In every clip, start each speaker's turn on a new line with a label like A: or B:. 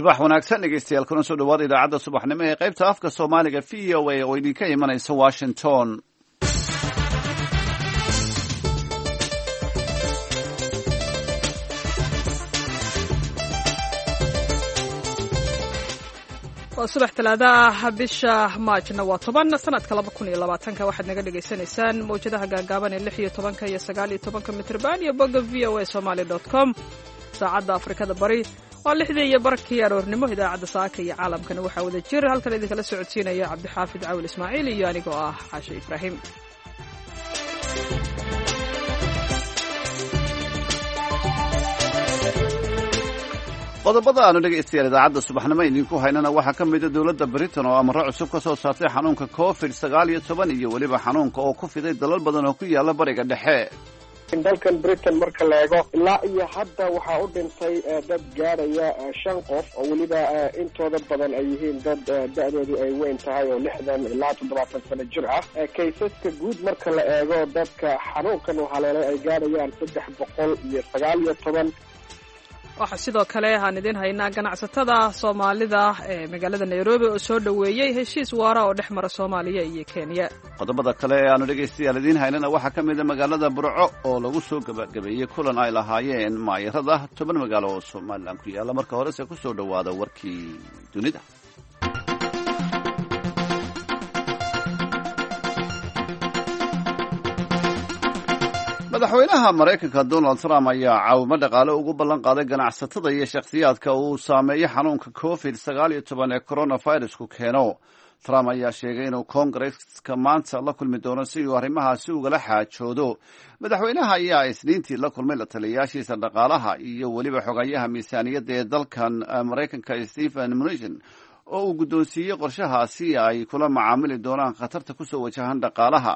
A: Subax wanaagsan, dhegeystayaal, kuna soo dhawaada idaacadda subaxnimo ee qaybta afka Soomaaliga VOA oo idinka imanaysa Washington.
B: Waa subax Talaada ah, bisha Maajna waa 10, sanadka 2020-ka. Waxaad naga dhagaysanaysaan mawjadaha gaagaaban ee 16-ka iyo 19-ka mitrban iyo bogga voasomali.com. Saacadda Afrikada Bari waa 6:30 aroornimo. Idaacadda saaka iyo caalamkana waxaa wada jir halkan idinkala socodsiinaya Cabdixaafid Cawil Ismaaciil iyo anigoo ah Xaashe Ibraahim.
A: Qodobada aanu dhegaystayaal idaacadda subaxnimo idinku haynana waxaa ka mida dowladda Britain oo amaro cusub ka soo saartay xanuunka COVID-19 iyo weliba xanuunka oo ku fiday dalal badan oo ku yaala Bariga Dhexe.
C: Dalkan Britain marka la eego, ilaa iyo hadda waxaa u dhintay dad gaadhaya shan qof, oo weliba intooda badan ay yihiin dad da-doodu ay weyn tahay oo 60 ilaa 70 sano jir ah. Kaysaska guud marka la eego, dadka xanuunkan u haleelay ay gaadhayaan 319.
B: Waxaa sidoo kale aan idiin haynaa ganacsatada Soomaalida ee magaalada Nairobi oo soo dhoweeyey heshiis waara oo dhex mara Soomaaliya iyo Kenya.
A: Qodobada kale ee aanu dhegaystayaal idiin haynana waxaa ka mida magaalada Burco oo lagu soo gabagabeeyey kulan ay lahaayeen maayarada 10 magaalo oo Somalilan ku yaalla. Marka horese ku soo dhowaada warkii dunida. Madaxweynaha Maraykanka Donald Trump ayaa caawimo dhaqaale ugu ballan qaaday ganacsatada iyo shakhsiyaadka uu saameeyey xanuunka COVID-19 ee coronavirusku keeno. Trump ayaa sheegay inuu Koongareska maanta la kulmi doono si uu arrimahaasi ugala xaajoodo. Madaxweynaha ayaa Isniintii la kulmay la taliyayaashiisa dhaqaalaha iyo weliba xogayaha miisaaniyadda ee dalkan Maraykanka Stephen Mnuchin, oo uu guddoonsiiyey qorshahaasi ay kula macaamili doonaan khatarta kusoo wajahan dhaqaalaha.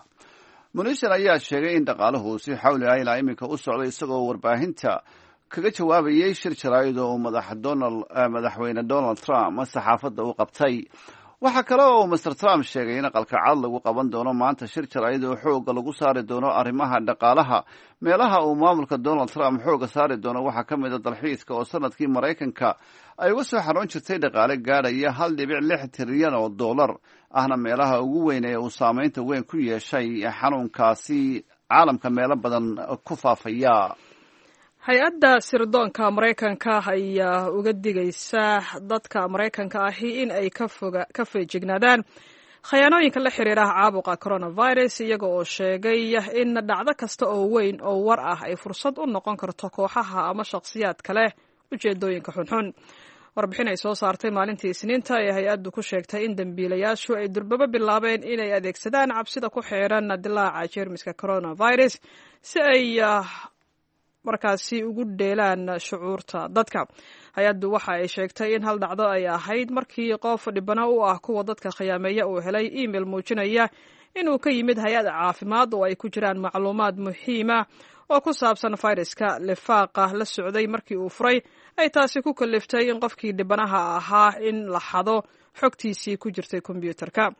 A: Mnuchin ayaa sheegay in dhaqaaluhu si xawli ah ilaa iminka u socday, isagoo warbaahinta kaga jawaabayay shir jaraa'id oo madaxweyne Donald Trump saxaafadda u qabtay. Waxaa kale oo Mister Trump sheegay in Aqalka Cad lagu qaban doono maanta shir jaraa'id oo xooga lagu saari doono arrimaha dhaqaalaha. Meelaha uu maamulka Donald Trump xooga saari doono waxaa ka mid a dalxiiska, oo sanadkii Maraykanka ay uga soo xaroon jirtay dhaqaale gaadhaya 1.6 trilyan oo dollar, ahna meelaha ugu weyn ee uu saameynta weyn ku yeeshay xanuunkaasi caalamka meelo badan ku faafaya.
B: Hay-adda sirdoonka Maraykanka ayaa uga digaysa dadka Maraykanka ahi in ay ka feejignaadaan khayaanooyinka la xiriira caabuqa coronavirus, iyaga oo sheegay in dhacdo kasta oo weyn oo war ah ay fursad u noqon karto kooxaha ama shakhsiyaad kale ujeedooyinka xunxun. Warbixin ay soo saartay maalintii Isniinta ee hay-addu ku sheegtay in dembiilayaashu ay durbabo bilaabeen inay adeegsadaan cabsida ku xeeran dilaaca jeermiska coronavirus si ay markaasi ugu dheelaan shucuurta dadka. Hay-addu waxa ay sheegtay in hal dhacdo ay ahayd markii qof dhibano u ah kuwa dadka khiyaameeya uu helay email muujinaya inuu ka yimid hay-ad caafimaad, oo ay ku jiraan macluumaad muhiima oo ku saabsan fayraska. Lifaaqa la socday markii uu furay ay taasi ku kaliftay in qofkii dhibanaha ahaa in la xado xogtiisii ku jirtay kombyuutarka.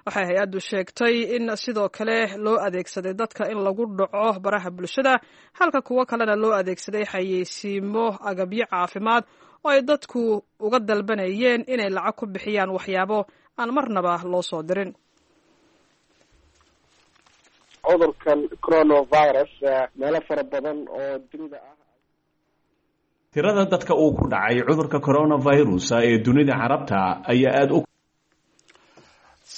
B: Waxay hay-addu sheegtay in sidoo kale loo adeegsaday dadka in lagu dhaco baraha bulshada, halka kuwo kalena loo adeegsaday xayeysiimo agabyo caafimaad oo ay dadku uga dalbanayeen inay lacag ku bixiyaan waxyaabo aan marnaba loo soo dirin.
C: Cudurkan coronavirus meelo fara badan oo dunida ah.
D: Tirada dadka uu ku dhacay cudurka coronavirus ee dunida Carabta ayaa aada u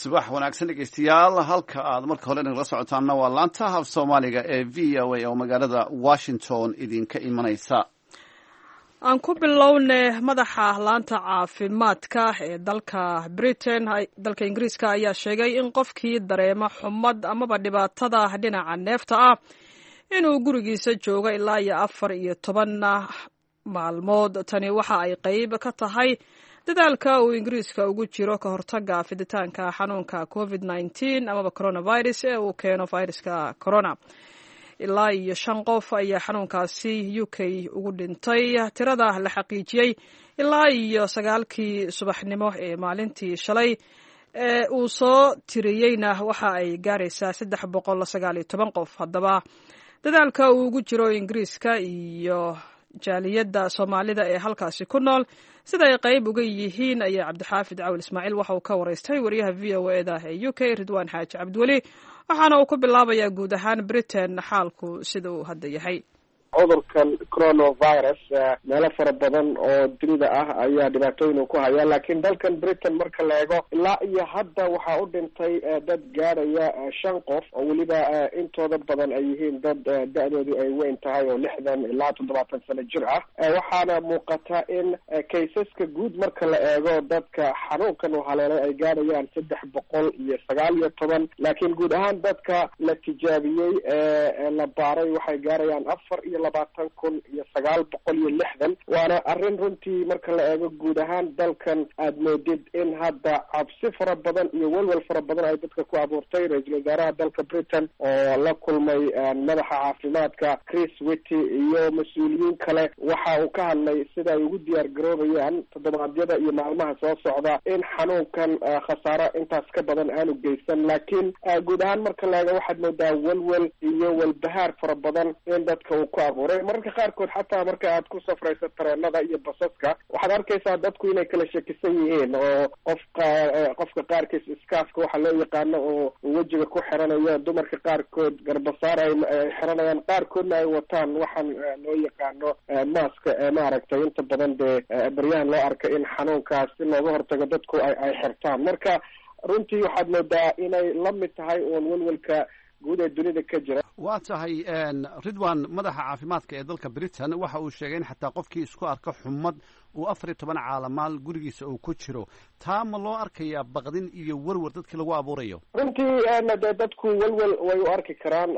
A: Subax wanaagsan, dhegeystayaal. Halka aad marka hore nagala socotaanna waa laanta af Soomaaliga ee VOA oo magaalada Washington idinka imanaysa.
B: Aan ku bilowne, madaxa laanta caafimaadka ee dalka Britain, dalka Ingiriiska, ayaa sheegay in qofkii dareema xumad amaba dhibaatada dhinaca neefta ah inuu gurigiisa joogo ilaa iyo 14 maalmood. Tani waxa ay qeyb ka tahay dadaalka uu Ingiriiska ugu jiro ka hortaga fiditaanka xanuunka COVID-19 amaba coronavirus ee uu keeno viruska corona. Ilaa iyo shan qof ayaa xanuunkaasi UK ugu dhintay tirada la xaqiijiyey ilaa iyo 9-kii subaxnimo ee maalintii shalay ee uu soo tiriyeyna waxa ay gaaraysaa 319 qof. Haddaba, dadaalka uu ugu jiro Ingiriiska iyo Jaaliyadda Soomaalida ee halkaasi ku nool sida ay qayb uga yihiin ayaa Cabdixaafid Cawil Ismaaciil waxa uu ka waraystay wariyaha v o e da ee UK, Ridwaan Xaaji Cabdiweli, waxaana uu ku bilaabayaa guud ahaan Britain xaalku sida uu hadda yahay.
C: Cudurkan coronavirus meelo fara badan oo dunida ah ayaa dhibaatooyin uu ku hayaa, laakiin dalkan Britain marka la eego ilaa iyo hadda waxaa u dhintay dad gaadhaya 5 qof, oo weliba intooda badan ay yihiin dad da-doodu ay weyn tahay oo 60 ilaa 70 sano jir ah. Waxaana muuqata in kaysaska guud marka la eego dadka xanuunkan uu haleelay ay gaadhayaan 319, laakiin guud ahaan dadka la tijaabiyey ee la baaray waxay gaarayaan 24,960. Waana arrin runtii marka la eego guud ahaan dalkan aada moodid in hadda cabsi fara badan iyo welwel fara badan ay dadka ku abuurtay. Ra-iisul wasaaraha dalka Britain oo la kulmay madaxa caafimaadka Chris Witty iyo mas-uuliyiin kale waxa uu ka hadlay sida ay ugu diyaar garoobayaan toddobaadyada iyo maalmaha soo socda in xanuunkan khasaaro intaas ka badan aanu geysan. Laakiin guud ahaan marka la eego waxaad moodaa welwel iyo walbahaar fara badan in dadka uu ku abuuray. Mararka qaarkood xataa marka aad ku safrayso tareenada iyo basaska waxaad arkaysaa dadku inay kala shakisan yihiin, oo qofka qaarkiis iskaafka waxa loo yaqaano oo wejiga ku xiranayo, dumarka qaarkood garbasaar ay xiranayaan, qaarkoodna ay wataan waxaan loo yaqaano maaska ee maaragtay inta badan dee baryahan loo arka in xanuunkaas si looga hortago dadku ay xirtaan. Marka runtii waxaad moodaa inay la mid tahay uun welwelka guud ee dunida ka jira.
A: Waa tahay, Ridwan. Madaxa caafimaadka ee dalka Britain waxa uu sheegay in xataa qofkii isku arka xumad uu 14 caalamaal gurigiisa uu ku jiro. Taa ma loo arkayaa baqdin iyo werwer dadkii lagu abuurayo?
C: Runtii dee dadku welwel way u arki karaan,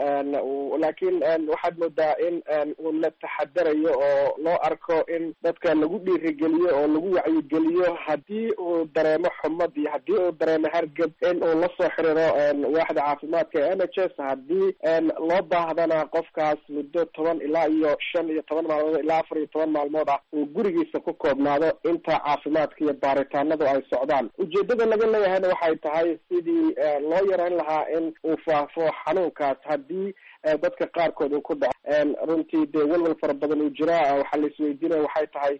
C: laakiin waxaad moodaa in uu la taxadarayo oo loo arko in dadka lagu dhiirigeliyo oo lagu wacyigeliyo haddii uu dareemo xumad iyo haddii uu dareemo hargab in uu lasoo xiriiro waaxda caafimaadka ee NHS. Haddii loo baahdana qofkaas muddo 10 ilaa iyo 15 maalmood ilaa 14 maalmood ah uu gurigiisa ku koobnaado inta caafimaadka iyo baaritaanadu ay socdaan. Ujeedada laga leeyahayna waxay tahay sidii loo yareyn lahaa in uu faafo xanuunkaas haddii dadka qaarkood uu ku dhaco. Runtii dee welwel fara badan uu jiraa. Waxaa la isweydiinaya waxay tahay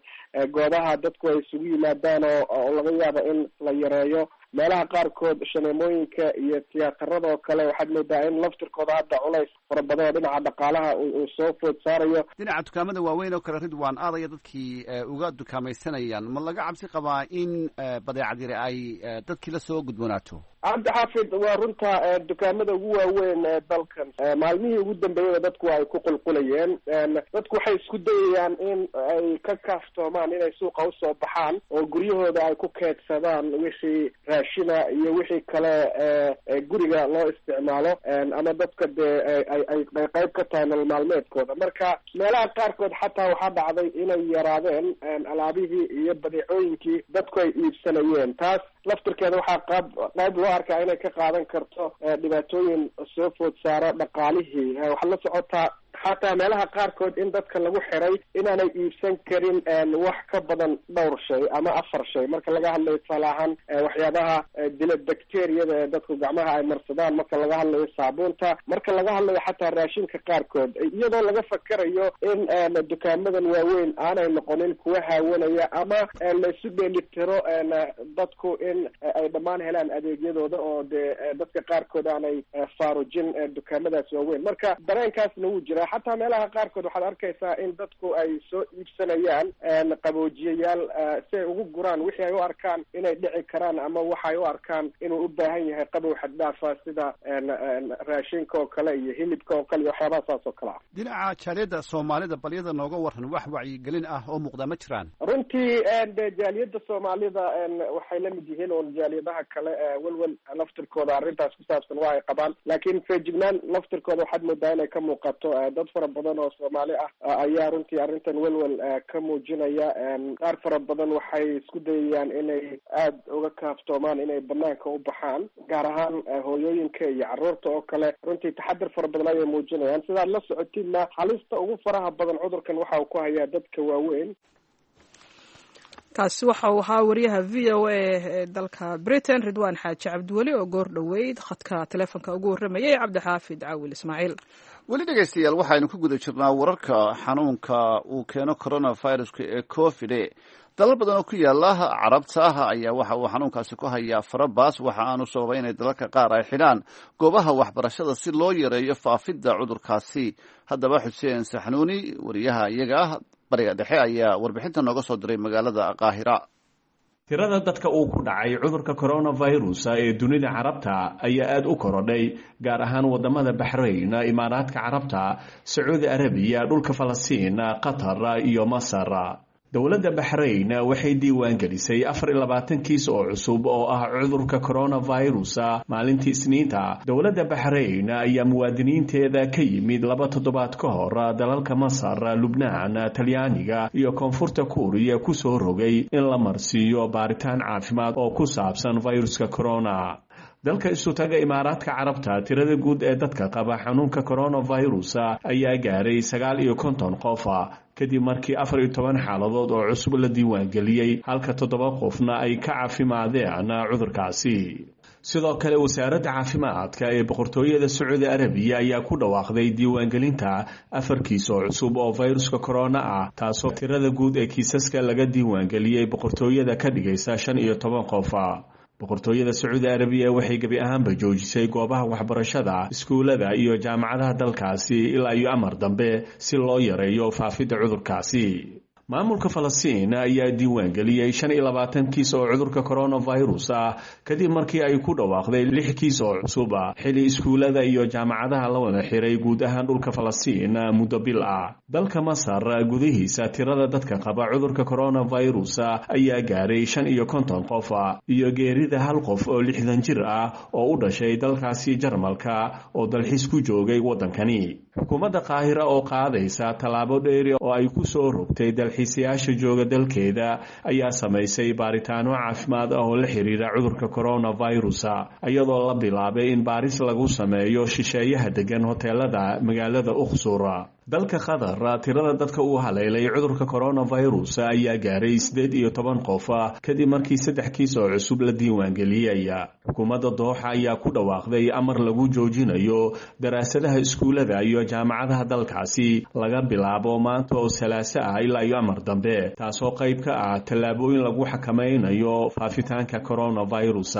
C: goobaha dadku ay isugu yimaadaan oo laga yaabo in la yareeyo, meelaha qaarkood shaneemooyinka iyo tiyaatarada oo kale waxaad moodaa in laftirkooda hadda culays fara badan oo dhinaca dhaqaalaha uu soo food saarayo.
A: Dhinaca dukaamada waaweyn oo kale, Ridwan, aadaya dadkii uga dukaamaysanayaan, ma laga cabsi qabaa in badeecad yari ay dadkii lasoo gudboonaato?
C: Cabdixaafid, waa runta, dukaamada ugu waaweyn ee dalkan maalmihii ugu dambeeyaba dadku ay ku qulqulayeen. Dadku waxay isku dayayaan in ay ka kaaftoomaan inay suuqa usoo baxaan oo guryahooda ay ku keedsadaan wixii raashina iyo wixii kale ee guriga loo isticmaalo ama dadka dee ay qayb ka tahay nolol maalmeedkooda. Marka meelaha qaarkood xataa waxaa dhacday inay yaraadeen alaabihii iyo badeecooyinkii dadku ay iibsanayeen. Taas laftirkeeda waxaa qaab qayb loo arkaa inay ka qaadan karto dhibaatooyin soo food saara dhaqaalihii. Waxaad la socotaa xataa meelaha qaarkood in dadka lagu xiray inaanay iibsan karin wax ka badan dhowr shay ama 4 shay, marka laga hadlayo tusaale ahaan waxyaabaha dila bacteriyada ee dadku gacmaha ay marsadaan, marka laga hadlayo saabuunta, marka laga hadlayo xataa raashinka qaarkood, iyadoo laga fakerayo in dukaamadan waaweyn aanay noqonin kuwa haawanaya ama laisu dheelitiro dadku in ay dhammaan helaan adeegyadooda oo dee dadka qaarkood aanay faarujin dukaamadaas waaweyn. Marka dareenkaasna wuu jira. Xataa meelaha qaarkood waxaad arkaysaa in dadku ay soo iibsanayaan qaboojiyayaal si ay ugu guraan wixii ay u arkaan inay dhici karaan ama waxay u arkaan inuu u baahan yahay qabow xaddhaafa, sida raashinka oo kale iyo hilibka oo kale iyo waxyaabaha saas oo kale ah.
A: Dhinaca jaaliyadda Soomaalida balyada nooga waran, wax wacyigelin ah oo muuqda ma jiraan?
C: Runtii de jaaliyadda Soomaalida waxay la mid yihiin uun jaaliyadaha kale, welwel laftirkooda arrintaas ku saabsan waa ay qabaan, laakiin feejignaan laftirkooda waxaad moodaa inay ka muuqato. Dad fara badan oo Soomaali ah ayaa runtii arrintan welwel ka muujinaya. Qaar fara badan waxay isku dayayaan inay aada uga kaaftoomaan inay banaanka u baxaan, gaar ahaan hooyooyinka iyo carruurta oo kale. Runtii taxadir fara badan ayay muujinayaan. Sidaad la socotidna halista ugu faraha badan cudurkan waxa uu ku hayaa dadka waaweyn.
B: Kaasi waxa uu ahaa wariyaha v o a ee dalka Britain, Ridwaan Xaaji Cabdiweli, oo goor dhoweyd khadka teleefonka ugu warramayay Cabdixaafid Caawil Ismaaciil.
A: Weli dhegeystayaal, waxaynu ku guda jirnaa wararka xanuunka uu keeno coronaviruska ee COVID. Dalal badan oo ku yaala Carabta ah ayaa waxa uu xanuunkaasi ku hayaa farabaas. Waxa aanu sababay inay dalalka qaar ay xidhaan goobaha waxbarashada si loo yareeyo faafidda cudurkaasi. Haddaba, Xuseen Saxnuuni, wariyaha iyaga ah Bariga Dhexe, ayaa warbixinta nooga soo diray magaalada Qaahira.
D: Tirada dadka uu ku dhacay cudurka coronavirus ee dunida Carabta ayaa aada u korodhay, gaar ahaan wadamada Baxrayn, Imaaraadka Carabta, Sacuudi Arabiya, dhulka Falastiin, Qatar iyo Masar. Dowladda Baxrayn waxay diiwaan gelisay 24 kiis oo cusub oo ah cudurka coronavirus maalintii Isniinta. Dowladda Baxrayn ayaa muwaadiniinteeda ka yimid 2 toddobaad ka hor dalalka Masar, Lubnaan, Talyaaniga iyo Koonfurta Kuuriya kusoo rogay in la marsiiyo baaritaan caafimaad oo ku saabsan viruska corona. Dalka Isutaga Imaaraadka Carabta, tirada guud ee dadka qaba xanuunka coronavirus ayaa gaaray 59 qof, kadib markii 14 xaaladood oo cusub la diiwaangeliyey, halka 7 qofna ay ka caafimaadeen cudurkaasi. Sidoo kale, wasaaradda caafimaadka ee Boqortooyada Sacuudi Arabiya ayaa ku dhawaaqday diiwaangelinta 4 kiis oo cusub oo viruska corona ah, taasoo tirada guud ee kiisaska laga diiwaangeliyey boqortooyada ka dhigaysa 15 qof. Boqortooyada Sacuudi Arabiya waxay gebi ahaanba joojisay goobaha waxbarashada, iskuulada iyo jaamacadaha dalkaasi ilaa iyo amar dambe, si loo yareeyo faafidda cudurkaasi. Maamulka Falastiin ayaa diiwaangeliyey 25 kiis oo cudurka coronavirus ah, kadib markii ay ku dhawaaqday 6 kiis oo cusub, xili iskuulada iyo jaamacadaha la wada xiray guud ahaan dhulka Falastiin muddo bil ah. Dalka Masar gudihiisa, tirada dadka qaba cudurka coronavirus ayaa gaaray 55 qof, iyo geerida hal qof oo 60 jir ah oo u dhashay dalkaasi Jarmalka oo dalxiis ku joogay waddankani. Xukuumadda Qaahira oo qaadaysa tallaabo dheeri oo ay ku soo rogtay dalxiisayaasha jooga dalkeeda ayaa samaysay baaritaano caafimaad ah oo la xiriira cudurka coronavirus, iyadoo la bilaabay in baaris lagu sameeyo shisheeyaha degan hoteelada magaalada Uqsur. Dalka Qatar, tirada dadka uu haleelay cudurka coronavirus ayaa gaaray 18 qof, kadib markii 3 kiis oo cusub la diiwaangeliyey. Xukuumadda Dooxa ayaa ku dhawaaqday amar lagu joojinayo daraasadaha iskuulada iyo jaamacadaha dalkaasi laga bilaabo maanta oo Salaaso ah ilaa iyo amar dambe, taasoo qayb ka ah tallaabooyin lagu xakamaynayo faafitaanka coronavirus.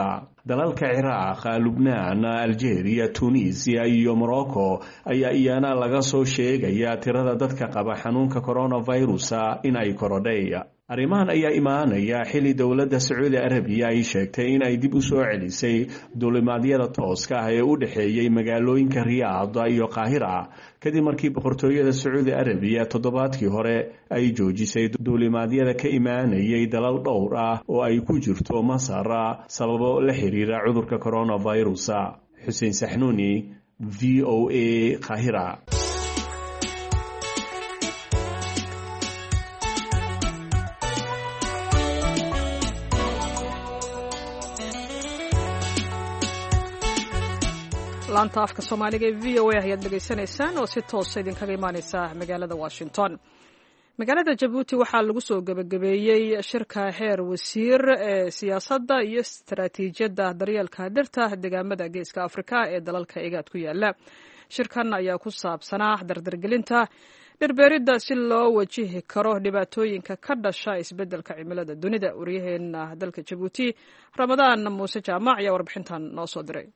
D: Dalalka Ciraaq, Lubnaan, Algeria, Tunisia iyo Morocco ayaa iyana laga soo sheegaya tirada dadka qaba xanuunka coronavirus in ay korodhay. Arrimahan ayaa imaanaya xili dowladda Sacuudi Arabiya ay sheegtay in ay dib u soo celisay duulimaadyada tooska ah ee u dhexeeyey magaalooyinka Riyaad iyo Qaahira, kadib markii Boqortooyada Sacuudi Arabiya toddobaadkii hore ay joojisay duulimaadyada ka imaanayay dalal dhowr ah oo ay ku jirto Masar, sababo la xiriira cudurka coronavirus. Xuseen Saxnuuni, VOA, Qaahira.
B: Laanta afka Soomaaliga ee VOA ayaad dhegaysanaysaan oo si toosa idinkaga imaaneysa magaalada Washington. Magaalada Jabuuti waxaa lagu soo gebagabeeyey shirka heer wasiir ee siyaasadda iyo istaraatiijiyadda daryeelka dhirta deegaamada Geeska Afrika ee dalalka IGAD ku yaala. Shirkan ayaa ku saabsanaa dardargelinta dhirbeeridda si loo wajihi karo dhibaatooyinka ka dhasha isbeddelka cimilada dunida. Waryaheena dalka Jabuuti, Ramadaan Muuse Jaamac, ayaa warbixintan noo soo diray.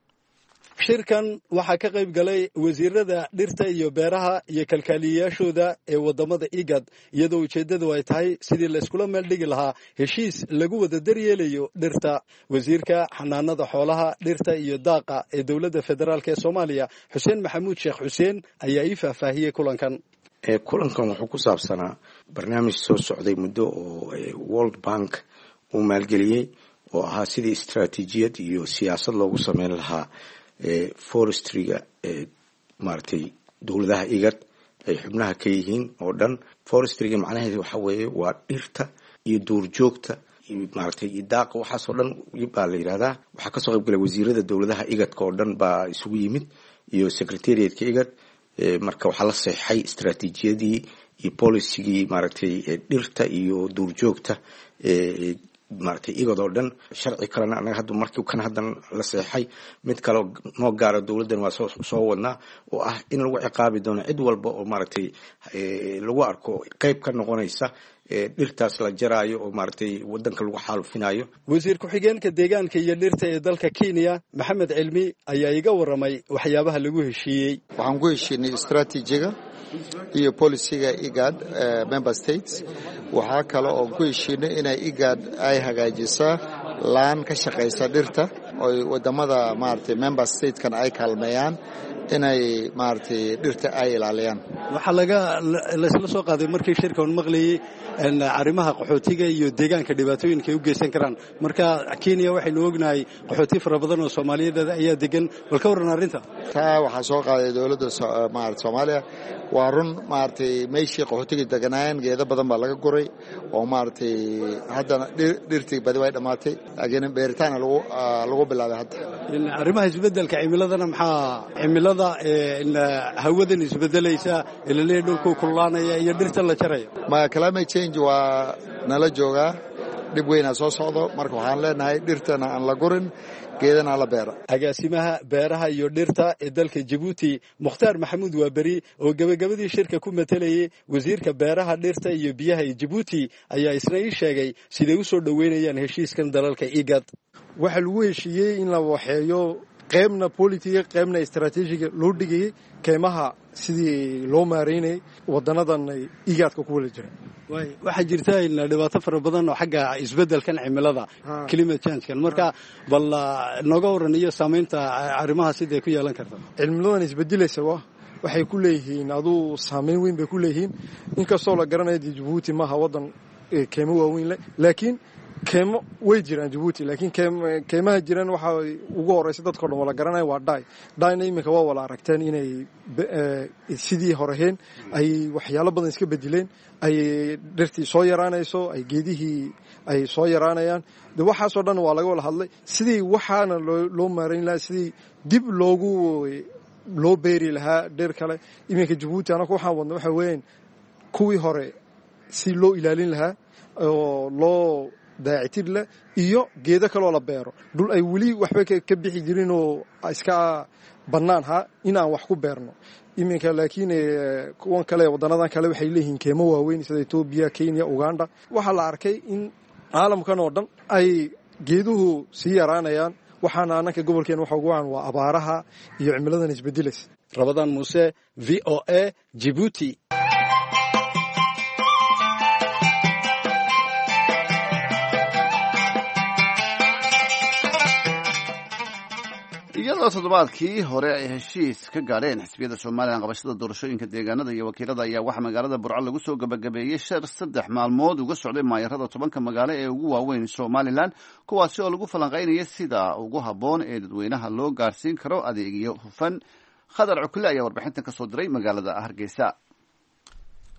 E: Shirkan waxaa ka qayb galay wasiirada dhirta iyo beeraha iyo kalkaaliyayaashooda ee waddamada IGAD, iyadoo ujeeddadu ay tahay sidii layskula meel dhigi lahaa heshiis lagu wada daryeelayo dhirta. Wasiirka xanaanada xoolaha, dhirta iyo daaqa ee dowladda federaalk ee Soomaaliya, Xuseen Maxamuud Sheekh Xuseen, ayaa ii faahfaahiyey kulankan.
F: Kulankan wuxuu ku saabsanaa barnaamij soo socday muddo oo World Bank uu maalgeliyey, oo ahaa sidii istaraatiijiyad iyo siyaasad loogu sameyn lahaa forestryga maaragtay dowladaha IGAD ay xubnaha ka yihiin oo dhan. Forestryga macnaheedu waxa weeye waa dhirta iyo duurjoogta, maaragtay, iyo daaqa, waxaasoo dhan baa la yidhahdaa. Waxaa kasoo qayb galay wasiirada dowladaha IGADka oo dhan baa isugu yimid iyo secretariatka IGAD. Marka waxaa la seexay istaraatiijiyadii iyo policygii, maaragtay, dhirta iyo duurjoogta. Maaragtay, IGAD oo dhan sharci kalena anaga hadda markii kan haddan la seexay, mid kaleo noo gaara dowladdan waa soo wadnaa, oo ah in lagu ciqaabi doono cid walba oo maaragtay lagu arko qeyb ka noqonaysa dhirtaas la jaraayo oo maaragtay wadanka lagu xaalufinayo.
E: Wasiir ku-xigeenka deegaanka iyo dhirta ee dalka Kenya, Maxamed Cilmi, ayaa iga warramay waxyaabaha lagu heshiiyey.
G: Waxaan ku heshiinay istraatiijiga iyo policyga IGAD member states. Waxaa kale oon ku heshiinay inay IGAD ay hagaajisaa laan ka shaqaysa dhirta, oy wadamada maaragtay member statekan ay kaalmeeyaan inay maaragtay dhirta ay ilaaliyaan.
E: Waxaa laga laysla soo qaaday markii shirkan maqlayey arrimaha qaxootiga iyo deegaanka dhibaatooyinka ay u geysan karaan. Marka Kenya waxaynu ognahay qaxooti fara badan oo Soomaaliyeed ayaa degan. Bal ka warran arrinta?
G: Taa waxaa soo qaaday dowladda maarata Soomaaliya. Waa run, maaragtay, meeshii qaxootiga deganaayeen geedo badan baa laga guray, oo maaragtay haddana dhirtii badi way dhammaatay, laakiin beeritaana lagu bilaabay hadda.
E: Arrimaha isbeddelka cimiladana, maxaa cimilada hawadan isbedelaysa ilaleeya, dhulkuu kululaanaya iyo dhirta la jaraya?
G: Ma climate change waa nala joogaa, dhib weynaa soo socdo. Marka waxaan leenahay dhirtana aan la gurin, geedana la beera.
E: Agaasimaha beeraha iyo dhirta ee dalka Jabuuti, Mukhtaar Maxamuud Waaberi, oo gebagabadii shirka ku matelayay wasiirka beeraha, dhirta iyo biyaha ee Jabuuti, ayaa isna ii sheegay siday u soo dhoweynayaan heshiiskan dalalka IGAD.
H: Waxaa lagu heshiiyey in la waxeeyo qaybna politiga, qaybna istraatiijiga loo dhigayay keymaha, sidii loo maareynayay wadanadan IGADka ku wada jira.
E: Waxaa jirta dhibaato fara badan oo xagga isbeddelkan cimilada, climate changekan. Marka bal nooga waran iyo saamaynta arrimaha siday ku yeelan karta.
H: Cimiladan isbedelaysa waxay ku leeyihiin aduu saameyn weyn bay ku leeyihiin, inkastoo la garanayo dee Jabuuti maaha waddan keymo waaweyn leh, laakiin keymo way jiraan Jabuuti. Laakiin keymaha jiraan waxaa ugu horeysa dadka o dhan wala garanaya waa dhay. Dhayna iminka waa wala aragteen inay sidii horeheen ay waxyaalo badan iska bedeleen, ay dhirtii soo yaraanayso, ay geedihii ay soo yaraanayaan. De waxaasoo dhan waa laga wada hadlay sidii waxaana loo maarayn lahaa, sidii dib loogu loo beeri lahaa dhir kale. Iminka Jabuuti anaku waxaan wadna waxa weeyaan kuwii hore si loo ilaalin lahaa oo loo daacitir leh, iyo geedo kaloo la beero dhul ay weli waxba ka bixi jirin oo iska bannaan ha inaan wax ku beerno iminka. Laakiin kuwan kale, waddanadan kale, waxay leeyihiin keemo waaweyn sida Etoobiya, Kenya, Uganda. Waxaa la arkay in caalamkan oo dhan ay geeduhu sii yaraanayaan. Waxaana ananka gobolkeena waxa ugu wacan waa abaaraha iyo cimiladan isbedelaysa.
E: Rabadaan Muuse, VOA, Jibuuti.
A: Iyadoo toddobaadkii hore ay heshiis ka gaadheen xisbiyada Somalilan qabashada doorashooyinka deegaanada iyo wakiilada, ayaa waxaa magaalada Burco lagu soo gabagabeeyey shir 3 maalmood uga socday maayarada 10ka magaalo ee ugu waaweyn Somalilan, kuwaasi oo lagu falanqaynaya sida ugu habboon ee dadweynaha loo gaarsiin karo adeegyo hufan. Khadar Cukule ayaa warbixintan ka soo diray magaalada Hargeysa.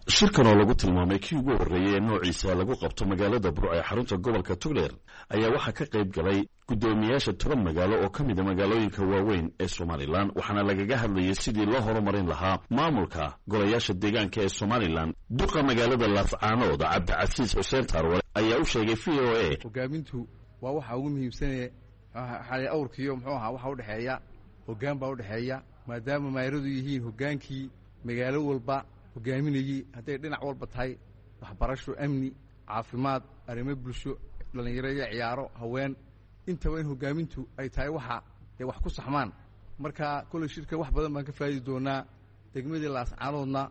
I: Shirkan oo lagu tilmaamay kii ugu horreeyey ee noociisa lagu qabto magaalada Burco ee xarunta gobolka Tugdheer ayaa waxaa ka qayb galay guddoomiyaasha 10 magaalo oo ka mida magaalooyinka waaweyn ee Somalilan, waxaana lagaga hadlayay sidii loo horumarin lahaa maamulka golayaasha deegaanka ee Somalilan. Duqa magaalada Laascaanood, Cabdicasiis Xuseen Taarwale, ayaa u sheegay VOA.
J: Hogaamintu waa waxa ugu muhiimsanaya awrkiiyo muxuu ahaa waxa udhexeeya hoggaan baa udhexeeya, maadaama maayaradu yihiin hoggaankii magaalo walba hogaaminayey, hadday dhinac walba tahay: waxbarasho, amni, caafimaad, arrimo bulsho, dhallinyaro iyo ciyaaro, haween, intaba in hogaamintu ay tahay waxa ay wax ku saxmaan. Marka kolley shirka wax badan baan ka faa'idi doonaa. Degmadii Laascaanoodna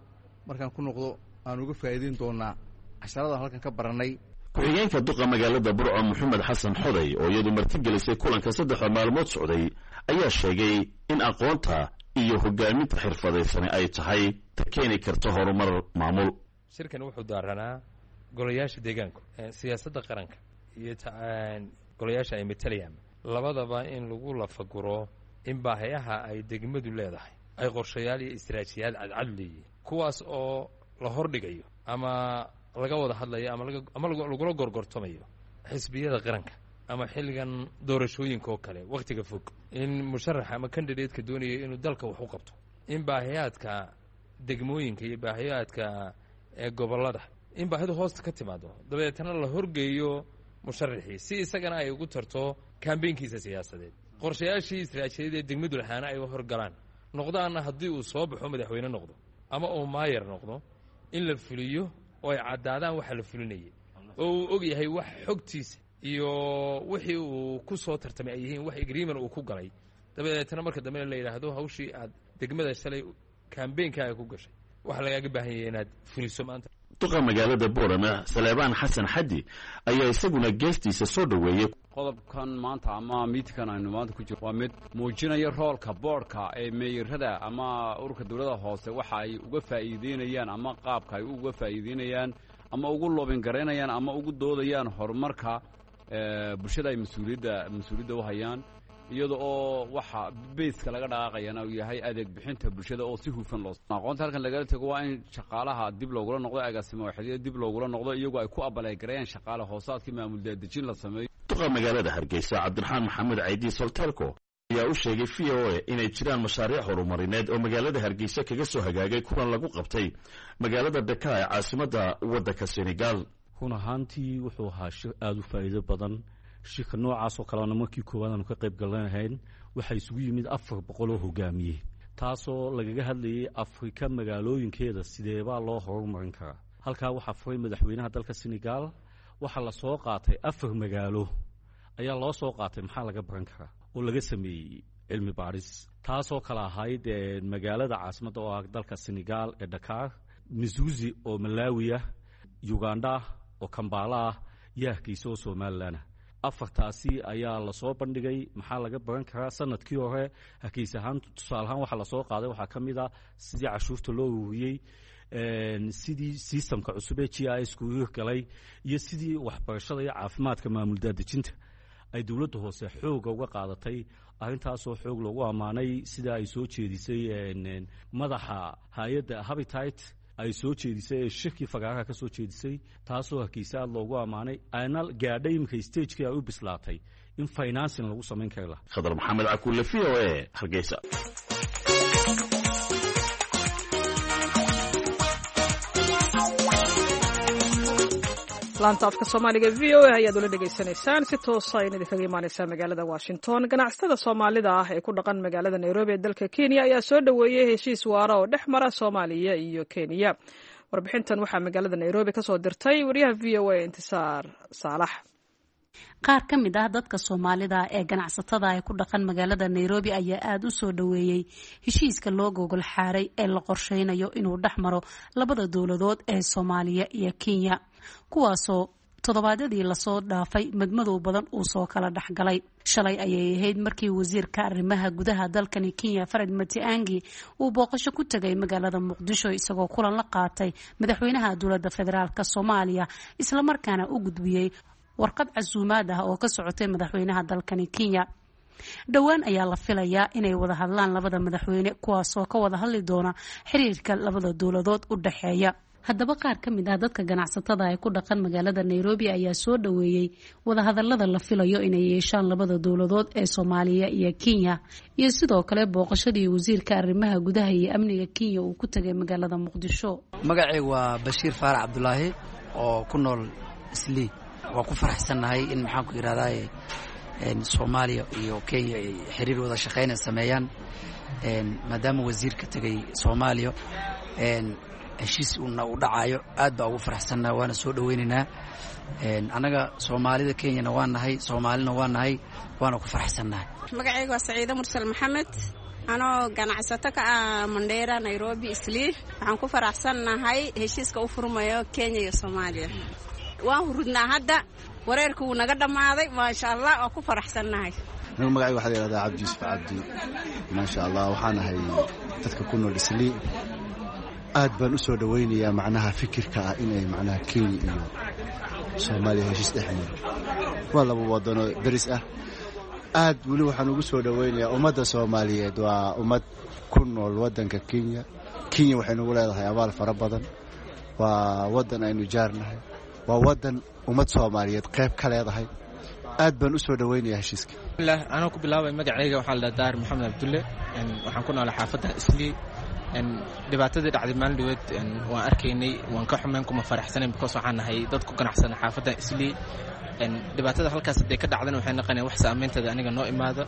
J: markaan ku noqdo aan uga faa'iideyn doonaa casharada halkan ka barannay.
I: Ku-xigeenka duqa magaalada Burco, Maxamed Xasan Xoday, oo iyadu martigelisay kulanka saddexda maalmood socday, ayaa sheegay in aqoonta iyo hogaaminta xirfadaysani ay tahay ta keeni karta horumar maamul.
K: Shirkan wuxuu daaranaa golayaasha deegaanku siyaasadda qaranka iyo golayaasha ay matalayaan labadaba in lagu lafaguro in baahayaha ay degmadu leedahay ay qorshayaal iyo istaraatijiyaal cadcad leeyihiin, kuwaas oo la hordhigayo ama laga wada hadlayo ama lagula gorgortamayo xisbiyada qaranka, ama xilligan doorashooyinka oo kale wakhtiga fog, in musharaxa ama candidateka doonaya inuu dalka wax u qabto in baahiyaadka degmooyinka iyo baahiyaadka gobollada in baahidu hoosta ka timaado, dabeetana la horgeeyo. Musharaxii si isagana ay ugu tarto kambeynkiisa siyaasadeed, qorshayaashii istaraatiijiyadeed ee degmadu lahaana ay u horgalaan, noqdaanna haddii uu soo baxo madaxweyne noqdo ama uu maayar noqdo in la fuliyo oo ay caddaadaan waxa la fulinayay, oo uu og yahay wax xogtiisa iyo wixii uu ku soo tartamay ay yihiin wax agreement uu ku galay. Dabadeetna marka dambena la yidhaahdo hawshii aad degmada shalay kambeynkaaga ku gashay waxaa lagaaga baahan yahay inaad fuliso maanta.
I: Duqa magaalada Boorama Saleebaan Xasan Xaddi ayaa isaguna geestiisa soo dhoweeyey.
L: Qodobkan maanta ama miidkan aynu maanta ku jirno waa mid muujinaya roolka boodhka ee meeyarada ama ururka dowladda hoose waxa ay uga faa'iideynayaan ama qaabka ay uga faa'iideynayaan ama ugu loobin garaynayaan ama ugu doodayaan horumarka bulshada ay mas-uuliyadda u hayaan, iyada oo waxa base-ka laga dhaqaaqayana uu yahay adeeg bixinta bulshada oo si hufan loo aqoonta. Halkan lagala tego waa in shaqaalaha dib loogula noqdo, agaasimo waaxyada dib loogula noqdo, iyagoo ay ku apply gareeyaan shaqaale hoosaadkii maamul daadejin la sameeyo.
I: Duqa magaalada Hargeysa Cabdiraxmaan Maxamed Caydi Soltelco ayaa u sheegay VOA inay jiraan mashaariic horumarineed oo magaalada Hargeysa kaga soo hagaagay kulan lagu qabtay magaalada Dhaka ee caasimadda waddanka Senegal.
M: Run ahaantii wuxuu ahaa shir aada u faa'iido badan. Shirka noocaas oo kalena markii koowaad aanu ka qayb galanahayn. Waxaa isugu yimid 400 oo hogaamiyey, taasoo lagaga hadlayay Afrika magaalooyinkeeda sideebaa loo horumarin karaa. Halkaa waxaa furay madaxweynaha dalka Senegal. Waxaa la soo qaatay afar magaalo ayaa loo soo qaatay, maxaa laga baran karaa oo laga sameeyey cilmi baadhis, taasoo kale ahayd magaalada caasimadda oo ah dalka Senegal ee Dhakaar, Mzuzu oo Malawi ah, Uganda oo Kambala ah iyo Hargeysa oo Somalilan ah. Afartaasi ayaa lasoo bandhigay, maxaa laga baran karaa. Sanadkii hore Hargeysa ahaan, tusaale ahaan, waxaa lasoo qaaday waxaa ka mid a sidii cashuurta loo ururiyey, sidii system-ka cusub ee GIS ku hirgalay iyo sidii waxbarashada iyo caafimaadka maamul daadejinta ay dowladda hoose xooga uga qaadatay. Arrintaasoo xoog loogu ammaanay sida ay soo jeedisay madaxa hay-adda Habitat ay soo jeedisay ee shirkii fagaaraha ka soo jeedisay, taasoo Hargeysa aad loogu ammaanay, ayna gaadhay iminka stage-kii ay u bislaatay in financing lagu samayn kari lahaa.
I: Khadar Maxamed Cakuule, VOA, Hargeysa.
B: Laanta afka Soomaaliga VOA ayaad ula dhegaysanaysaan, si toosa ayna idinkaga imaaneysaa magaalada Washington. Ganacsatada Soomaalida ah ee ku dhaqan magaalada Nairobi ee dalka Kenya ayaa soo dhoweeyey heshiis waara oo dhex mara Soomaaliya iyo Kenya. Warbixintan waxaa magaalada Nairobi kasoo dirtay wariyaha VOA Intisaar Saalax.
N: Qaar ka mid ah dadka Soomaalida ee ganacsatada ee ku dhaqan magaalada Nairobi ayaa aada u soo dhoweeyey heshiiska loo gogol xaaray ee la qorsheynayo inuu dhex maro labada dowladood ee Soomaaliya iyo Kenya, kuwaasoo toddobaadyadii lasoo dhaafay madmadow badan uu soo kala dhexgalay. Shalay ayay ahayd markii wasiirka arrimaha gudaha dalkani Kenya Fred Matiangi uu booqasho ku tegay magaalada Muqdisho, isagoo kulan la qaatay madaxweynaha dowladda federaalk Soomaaliya, islamarkaana u gudbiyey warqad casuumaad ah oo ka socotay madaxweynaha dalkani Kenya. Dhowaan ayaa la filayaa inay wada hadlaan labada madaxweyne, kuwaasoo ka wada hadli doona xiriirka labada dowladood u dhexeeya. Haddaba qaar ka mid ah dadka ganacsatada ee ku dhaqan magaalada Nairobi ayaa soo dhoweeyey wadahadalada la filayo inay yeeshaan labada dowladood ee Soomaaliya iyo Kenya, iyo sidoo kale booqashadii wasiirka arrimaha gudaha iyo amniga Kenya uu ku tegay magaalada Muqdisho.
O: Magacaygu waa Bashiir Faarac Cabdulaahi oo ku nool Islii. Waan ku faraxsannahay in, maxaan ku yidhahdaa, Soomaaliya iyo Kenya ay xiriir wada shaqeynay sameeyaan, maadaama wasiirka tegay Soomaaliya, heshiis una u dhacayo. Aad baa ugu faraxsannahay, waana soo dhoweynaynaa. Annaga Soomaalida Kenyana waa nahay, Soomaalina waa nahay, waana ku faraxsannahay.
P: Magacayga waa Saciide Mursal Maxamed, anoo ganacsato ka ah Mandheera, Nairobi, Islii. Waxaan ku faraxsannahay heshiiska u furmayo Kenya iyo Soomaaliya. Waan hurudnaa hadda, wareerku wuu naga dhammaaday, maasha Allah, waa ku faraxsannahay.
Q: Anigu magacayga waxaa la yihahdaa Cabdi Yuusuf Cabdi. Maasha Allah, waxaan ahay dadka ku nool Islii. Aad baan u soo dhowaynayaa macnaha fikirka ah inay macnaha Kenya iyo Soomaaliya heshiis dhex maro. Waa laba wadano deris ah. Aad weli waxaan ugu soo dhowaynayaa ummadda Soomaaliyeed, waa ummad ku nool waddanka Kenya. Kenya waxay nagu leedahay abaal fara badan. Waa waddan aynu jaarnahay, waa waddan ummad Soomaaliyeed qayb ka leedahay. Aad baan u soo dhowaynayaa heshiiska.
R: Anoo ku bilaabay magacayga, waxaa la dhaha Daahir Maxamed Cabdulle. Waxaan ku noolay xaafadda Islii. Dhibaatadii dhacday maalin dhaweed waan arkaynay, waan ka xumeyn, kuma faraxsanayn, because waxaan nahay dad ku ganacsana xaafadda Islii. Dhibaatada halkaas hadday ka dhacdana waxay naqonaya wax saameynteeda aniga noo imaado.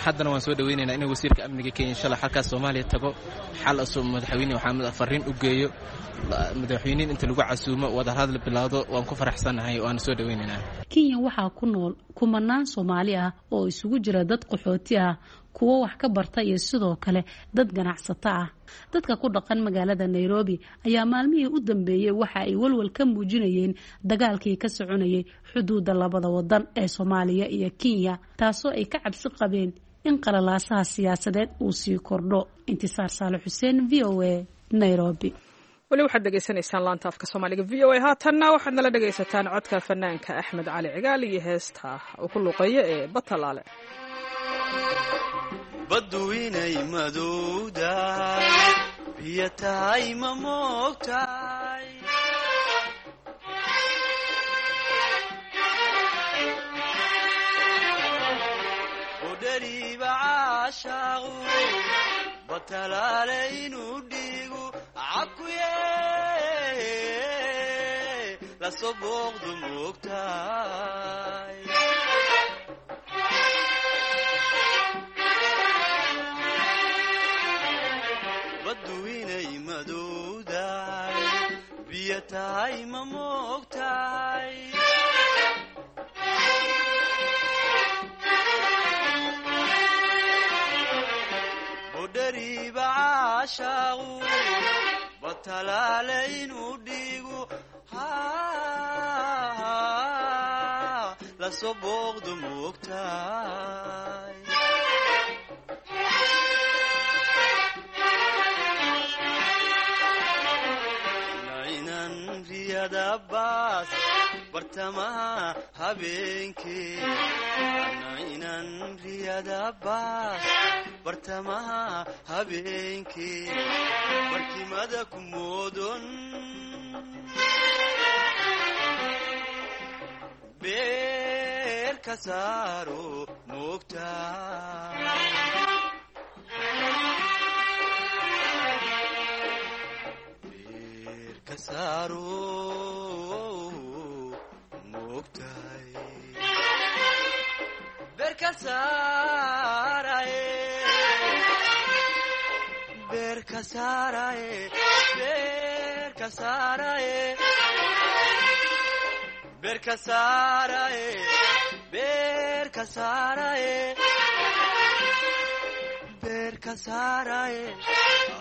R: Haddana waan soo dhaweynaynaa inuu wasiirka amniga Kenya insha Allah halkaas Soomaaliya tago, xal asoo madaxweyne waxaa fariin u geeyo madaxweyniin inta lagu casuumo wadahadal bilowdo. Waan ku faraxsanahay, waana soo dhaweynaynaa.
N: Kenya waxaa ku nool kumanaan Soomaali ah oo isugu jira dad qaxooti ah, kuwo wax ka barta iyo sidoo kale dad ganacsato ah. Dadka ku dhaqan magaalada Nairobi ayaa maalmihii u dambeeyey waxa ay walwal ka muujinayeen dagaalkii ka soconayay xuduudda labada wadan ee Soomaaliya iyo Kenya, taasoo ay ka cabsi qabeen in qalalaasaha siyaasadeed uu sii kordho. Intisaar Saale Xuseen, VOA, Nairobi.
B: Weli waxaad dhegaysanaysaan laanta afka Soomaaliga VOA. Haatanna waxaad nala dhegaysataan codka fanaanka Axmed Cali Cigaal iyo heesta uu ku luuqeeyo ee Batalaale.
S: Baddu inay madowdahay, biyo tahay ma moogtahay? Odhariiba caashaaqu batalaale inuu dhiigu cakuye lasoo booqdu moogtahay. Baddu inay madowdahay, biyo tahay ma moogtahay? Bodhariiba caashaaqu batalaale inuu dhiigu lasoo booqdu moogtahay. Nainan riyada baas bartamaha habeenkee, nainan riyada baas bartamaha habeenkee, barkimada ku moodon beer ka saaro moogtaa.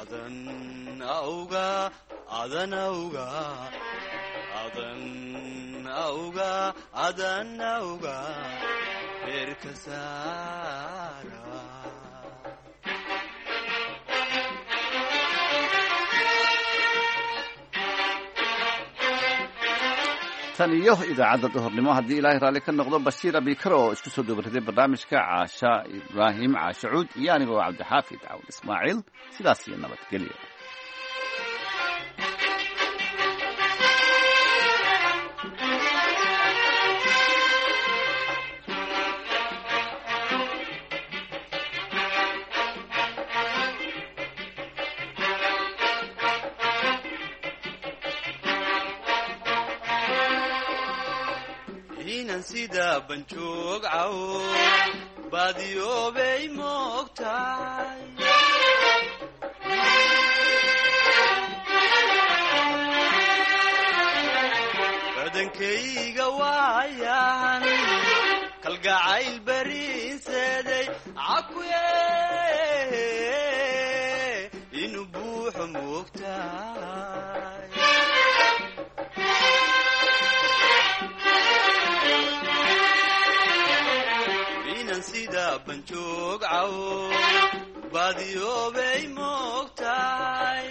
S: Adan awga, adan awga, adan awga, adan awga, beerka saara.
A: Tan iyo idaacadda duhurnimo, haddii Ilaahay raalli ka noqdo, Bashiir Abikar oo isku soo duubaraday barnaamijka, Caasha Ibraahim Caasha Cuud iyo anigoo Cabdixaafid Cawd Ismaaciil, sidaas iyo nabadgelyo.
S: Inan sida banjoog cawo baadiyoobay moogtahay. Badankayga waayahan kalgacayl bariinseeday cakuye inuu buuxo moogtahay. Inan sida banjoog cawo baadiyoobay moogtahay.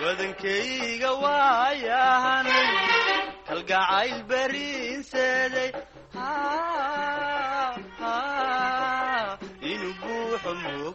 S: Badankayga waayahan kalgacayl bariinseeday inuu buuxo.